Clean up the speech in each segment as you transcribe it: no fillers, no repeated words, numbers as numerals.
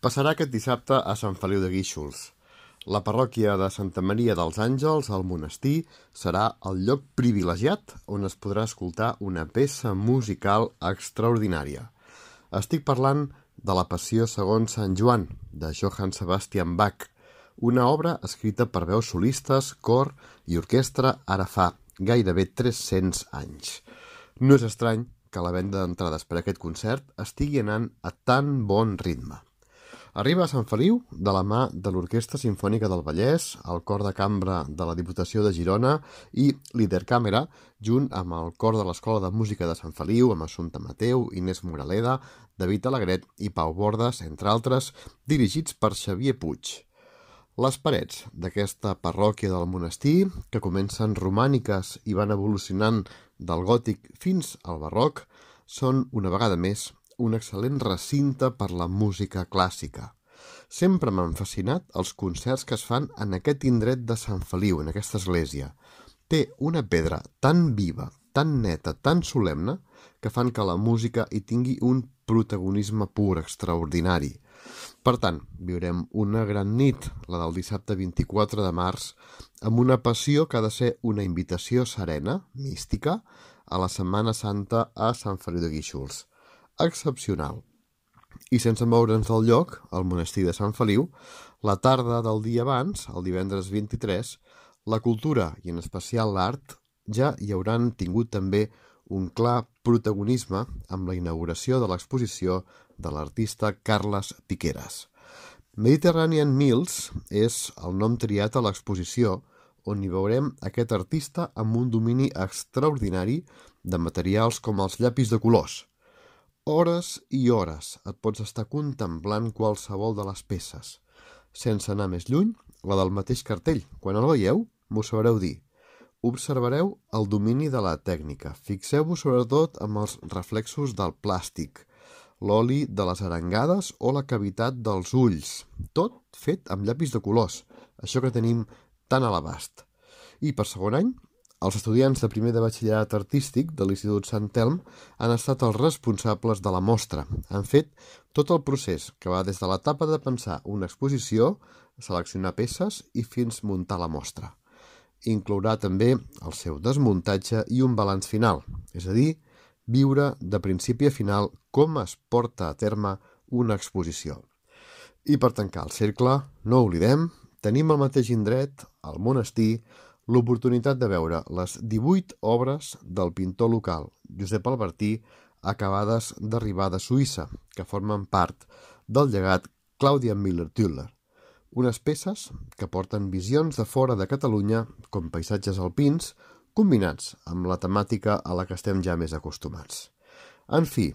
Passarà aquest dissabte a Sant Feliu de Guíxols. La parròquia de Santa Maria dels Àngels, al monestir, serà el lloc privilegiat on es podrà escoltar una peça musical extraordinària. Estic parlant de la Passió segons Sant Joan, de Johann Sebastian Bach, una obra escrita per veus solistes, cor i orquestra ara fa gairebé 300 anys. No és estrany que la venda d'entrades per a aquest concert estigui anant a tan bon ritme. Arriba a Sant Feliu de la mà de l'Orquestra Simfònica del Vallès, el Cor de Cambra de la Diputació de Girona i l'Idercàmera, junt amb el Cor de l'Escola de Música de Sant Feliu, amb Assumpta Mateu, Inés Moraleda, David Alegret i Pau Bordes, entre altres, dirigits per Xavier Puig. Les parets d'aquesta parròquia del monestir, que comencen romàniques i van evolucionant del gòtic fins al barroc, són, una vegada més, un excel·lent recinte per la música clàssica. Sempre m'han fascinat els concerts que es fan en aquest indret de Sant Feliu, en aquesta església. Té una pedra tan viva, tan neta, tan solemne, que fan que la música hi tingui un protagonisme pur, extraordinari. Per tant, viurem una gran nit, la del dissabte 24 de març, amb una passió que ha de ser una invitació serena, mística, a la Setmana Santa a Sant Feliu de Guíxols. Excepcional. I sense moure'ns del lloc, al monestir de Sant Feliu, la tarda del dia abans, el divendres 23, la cultura i en especial l'art ja hi hauran tingut també un clar protagonisme amb la inauguració de l'exposició de l'artista Carles Piqueras. Mediterranean Mills és el nom triat a l'exposició, on hi veurem aquest artista amb un domini extraordinari de materials com els llapis de colors. Hores i hores et pots estar contemplant qualsevol de les peces. Sense anar més lluny, la del mateix cartell. Quan el veieu, m'ho sabreu dir. Observareu el domini de la tècnica. Fixeu-vos sobretot amb els reflexos del plàstic, l'oli de les arengades o la cavitat dels ulls. Tot fet amb llapis de colors, això que tenim tan a l'abast. I per segon any, els estudiants de primer de batxillerat artístic de l'Institut Sant Telm han estat els responsables de la mostra. Han fet tot el procés, que va des de l'etapa de pensar una exposició, seleccionar peces i fins muntar la mostra. Inclourà també el seu desmuntatge i un balanç final, és a dir, viure de principi a final com es porta a terme una exposició. I per tancar el cercle, no oblidem, tenim al mateix indret, al monestir, l'oportunitat de veure les 18 obres del pintor local Josep Albertí acabades d'arribar de Suïssa, que formen part del llegat Claudia Müller-Tüller. Unes peces que porten visions de fora de Catalunya com paisatges alpins combinats amb la temàtica a la que estem ja més acostumats. En fi,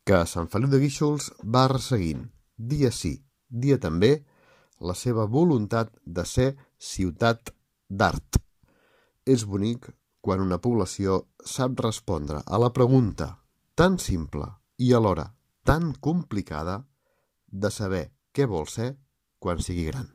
que Sant Feliu de Guíxols va resseguint, dia sí, dia també, la seva voluntat de ser ciutat d'art. És bonic quan una població sap respondre a la pregunta tan simple i alhora tan complicada de saber què vol ser quan sigui gran.